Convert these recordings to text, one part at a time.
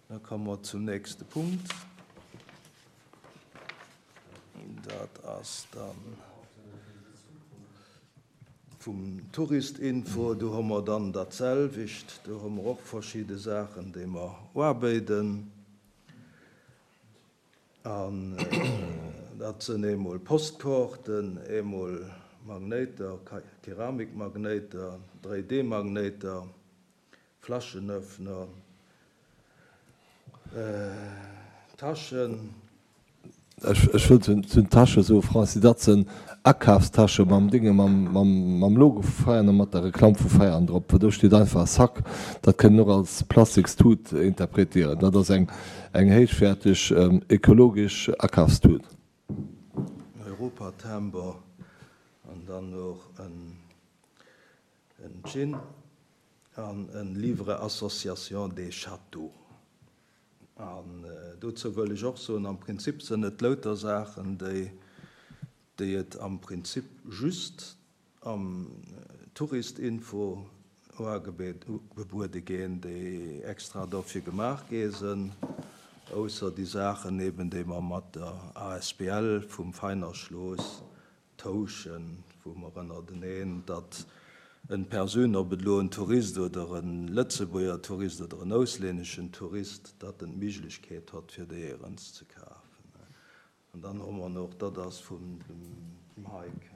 Da komme mer zum nächste Punkt. Dat ass dann vum Touristinfo. Do hu mer dann dat selwecht. Do hu mer och verschidde Saachen, déi mer uabéiden. An dat sënn eemol Postkaarten, eemol Magnéiter, Keramikmagnéiter, 3D-Magnéiter, Flaschenöffner, Taschen. Ech wëll zu den Tasche soen, Francis, dat sënn Akafstasche mam Dinge, mam Logo vu Veianen a mat der Reklamm vu Veianen drop. Do steet einfach Sac. Dat kënnt een och als Plastikstut interpretieren. Dat ass eng héichwäerteg ökologesch Akafstut. Europatimber an dann och en Gin. An en Livre Association des Châteaux. An dozou wëll ech och soen, am Prinzip sënn et louter Saachen, déi, déi et am Prinzip just am Touristinfo uagebuede ginn, déi extra dofir gemaach gi sënn, ausser déi Saachen eben, déi mer mat der asbl vum Veiner Schloß Tauschen, wou mer ënnerteneen, datt en Persoun, ob et elo en Tourist oder e Lëtzebuerger Tourist oder en auslänneschen Tourist, datt en d'Méiglechkeet hott fir déi éierens ze kafen. An dann hu mer och, dat ass vum dem Hike,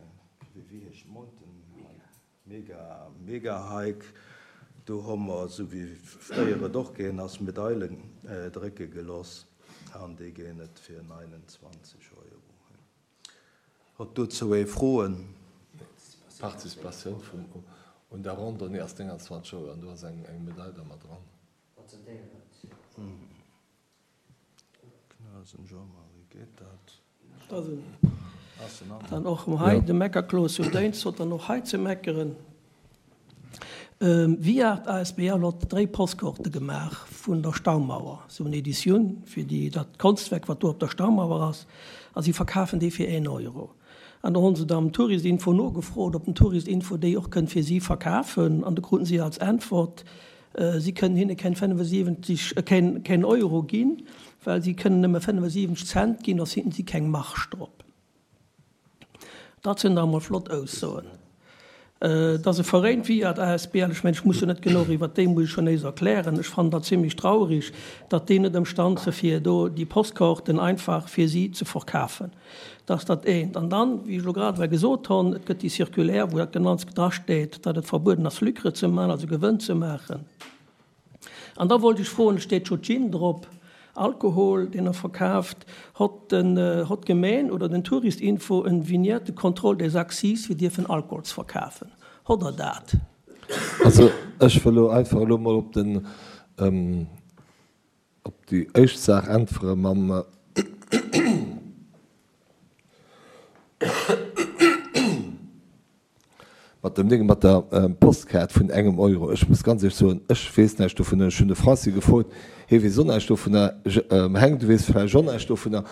wéi heescht Mountain Hike? Mega, mega Hike, do hu mer, esou wéi fréier et och gaang ass, Medailen drécke geloss an déi ginn et fir 29 Euro. Hott dozou ee Froen? D'Participatioun vum un der Randonnée ass 29 Euro an do ass eng eng Medail da mat dran. Knasen Jean-Marie, geet dat? Dann och hei de Meckerklos un Déinst hott dann och hei ze meckeren. Viart asbl hott dréi Postkaarte gemaach vun der Staumauer, sou en Editioun fir déi dat Konschtwerk wat do op der Staumauer ass, a si verkafen déi fir een Euro. An do honn se dann Touristinfo nogefrot, ob den Touristinfo déi och kënnt fir si verkafen, an do kruten si als Äntwert, si kënnen hinne keng 75, keen keen Euro ginn, well si kënnen nëmme 75 Cent ginn, soss hätten si keng Marge drop. Dat sinn da emol flott Aussoen. Dass e Veréin wéi ad asbl, ech mengen, ech muss jo net genuch iwwert déi muss ech jo néis erklären, ech fannen dat zimlech traurig, datt déi net ëmstand se fir do déi Postkaarten einfach fir si ze verkafen. Dat ass dat eent. An dann, wéi ech elo grad ewell gesot honn, et gëtt déi Circulaire, wou dat genannt drasteet, datt et verbueden ass Lucre ze maachen, also Gewënn ze maachen. An da wollt ech froen, et steet scho Gin drop, Alkohol, deen Der verkaaft, hott den, hott d'Gemeen oder den Touristinfo en Vignette de contrôle des accises fir dierfen Alkohol ze verkafen? Hott Der dat? Also ech wëll elo einfach elo mol op den, op déi éischt Saach äntwere mam. Mat dem Ding, mat der Postkaart vun engem Euro. Ech muss ganz éierlech soen, ech weess näischt dovunner. Ech hunn de Franci gefrot, hie weess och näischt dovunner. Heng, du weess vläicht och näischt dovunner.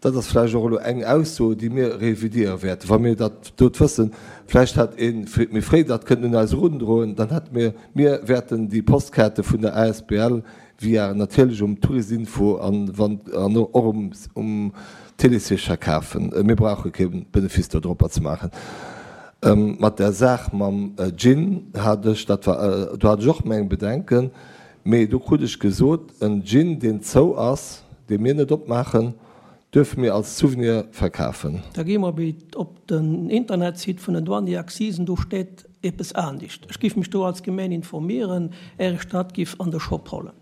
Dat ass vläicht och elo eng Ausso, déi mir revidiere wäerten, wa mir dat dot wëssen. Vläicht hätt ee méi fréi dat kënnen un eis erundroen, dann hätte mir, mir wäerten déi Postkaarte vun der asbl Via natierlech um Tourisinfo an wann an och um um Télésiège verkafen. Mir brauche kee Benefice do dropper ze maachen. Mat där Saach mam Gin hat ech, dat war, do hat ech och meng Bedenken, mee do krut ech gesot, en Gin deen zou ass, dee mir net opmaachen, duerfe mir als Souvenir verkafen. Da gi mer op den Internetsite vun den Douane et Accisen, do steet eppes anescht. Ech giff mech do als Gemeen informieren, är ech dat giff an de Shop hollen.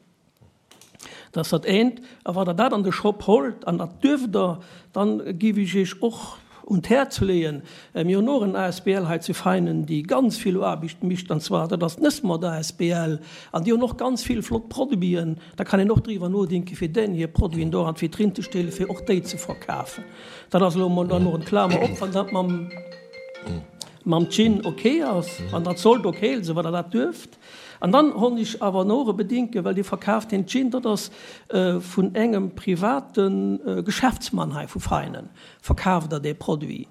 Dat ass dat eent. A wa Der dat an de Shop holt, an dat duerft Der, dann giff ech Iech och un d'Häerz leeën, mir hunn och en asbl hei zu Veinen, déi ganz vill Aarbecht mécht, an zwar dat ass d'Nëssmod asbl, an déi hunn och ganz vill flott Produiten. Da kann een och driwwer nodenken, fir deenen hir Produiten do an d'Vitrinn ze stellen, fir och déi ze verkafen. Dat ass elo emol dann och en Klamer op, wann dat mam, mam Gin ok ass, wann dat sollt ok sinn, wann Der dat duerft. An dann honn ech awer och e Bedinke, well Dir verkaaft deen Gin, dat ass vun engem private Geschäftsmann hei vu Veinen, verkaaft Der dee Produit.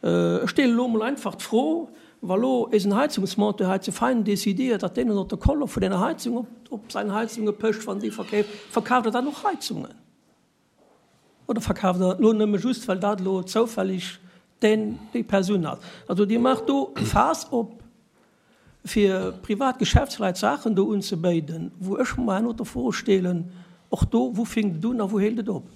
Ech stellen elo emol einfach d'Fro. Wa lo eisen Heizungsmonteur hei zu Veinen décidiert, datt deen en Autocollant vun enger Heizung op, op säin Heizunge pécht, wann déi verkeeft, verkaaft er dann och Heizungen? Oder verkaaft er dat lo nëmme just, well dat elo zoufällig deen, déi Persoun ass? Also Dir maacht do e Faass op, fir privat Geschäftsleit Saachen do unzebéiden, wou ech mer herno d'Fro stelen, och do, wou fänkt et un a wou hélt et op?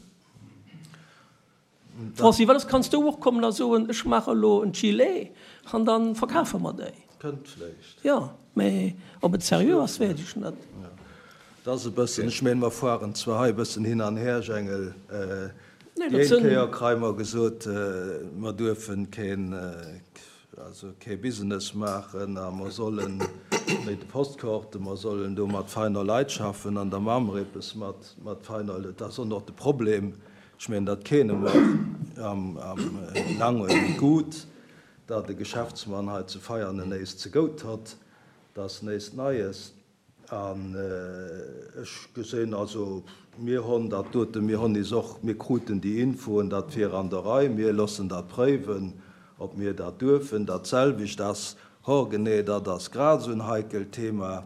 Francis, well soss kanns du och kommen a soen, ech maache elo en Gilet an da verkafe mer déi. Kënnt vläicht. Jo, mä ob et seriö ass, weess ech net. Et ass e bëssen, ech mengen, mer fueren zwar hei e bëssen hin an her, Jengel. Déi eng Kéier kréie mer gesot, mer duerfen keen, also kee Business maachen a mer sollen, wéi de Postkaarten, mer sollen do mat feiner Leit schaffen an da maache mer eppes mat, mat feiner Leit. Dat ass och nach de Problem, Ech mengen, dat kenne mer am Langen guut, datt e Geschäftsmann hei zu Veianen néist ze gout hott, dat ass néist Neies. An ech gesinn, also mir honn dat doten, mir honn is och, mir kruten déi Infoen, dat wier an der Rei, mir loossen dat préiwen, ob mir dat duerfen. Dat selwecht ass, horgenee, dat ass grad esou en heikelt Thema,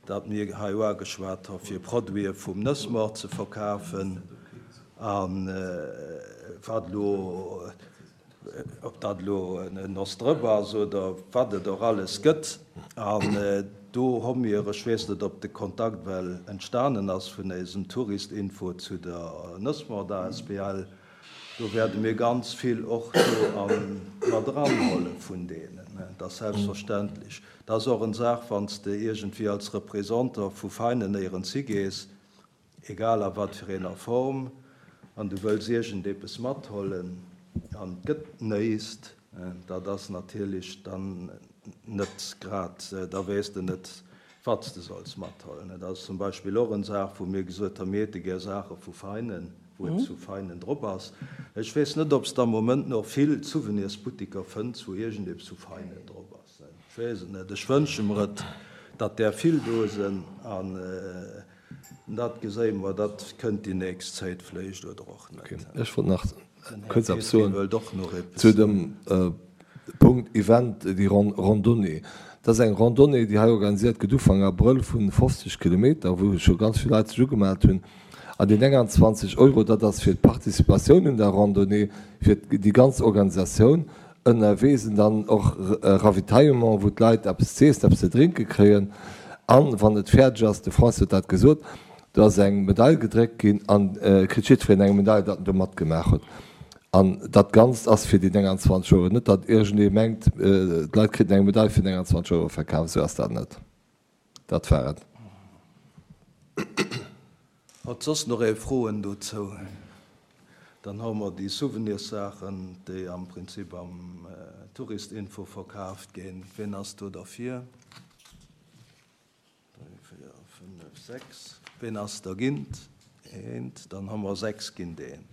dat mir hei uageschwat hu fir Produite vum Nëssmoart ze verkafen a wat elo, ob dat elo en Nossdrëpp ass oder wat et och alles gëtt. An do hu mir, ech weess net, ob de Kontakt well entstanen ass vun eisem Touristinfo zu der Nëssmoart asbl, Do wäerte mir ganz vill och do mat eranhuele vun deenen. Dat ass selbstverständlech. Dat ass och en Saach, wann s de iergendwéi als Représentant vu Veinen néierens higees, egal a wat fir eener Form, an du wëlls iergendepes mathollen an et gëtt néist, dat ass natierlech dann net grad, da weess de net, wat s de solls mathollen. Dat ass zum Beispill och en Saach, wou mir gesot hunn, mir hätte gär Saache vu Veinen, wou et zu Veinen drop ass. Ech weess net, ob s de am Moment nach vill Souvenirsbuttiker fënns, wou iergendepes vu Veinen drop ass. Ech weess et net. Ech wënsche mer et, datt där vill do sinn. An dat geséie mer, dat kënnt déi nächst Zäit vléicht oder och net. Ech wollt nach kuerz eppes soen zu dem Punkt Event, déi Randonnée. Dat ass eng Randonnée, déi hei organisiert gëtt Ufank Abrëll vu 50 Kilometer, wou scho ganz vill Leit sech ugemellt hunn. An déi 29 Euro, dat ass fir d'Participatioun un der Randonnée, fir déi ganz Organisatioun. Ënnerwee sinn dann och Ravitaillement, wou d'Leit eppes z'iessen, eppes ze drénke kréien. An wann et fäerdeg ass, de François huet dat gesot, do ass eng Medail gedréckt ginn an kritt jiddwereen eng Medail, datt en do matgemaach huet. An dat Ganzt ass fir déi 29 Euro. Net datt iergendee mengt, d'Leit kriten eng Medail fir 29 Euro verkaf, esou ass dat net. Dat war et. Hat soss nach ee Froen dozou? Dann hu mer déi Souvenirssaachen, déi am Prinzip am Touristinfo verkaaft ginn. Ween ass do derfir? 3, 4, 5, 6. Ween ass dergint? Eent. Dann hu mer 6 géint eent.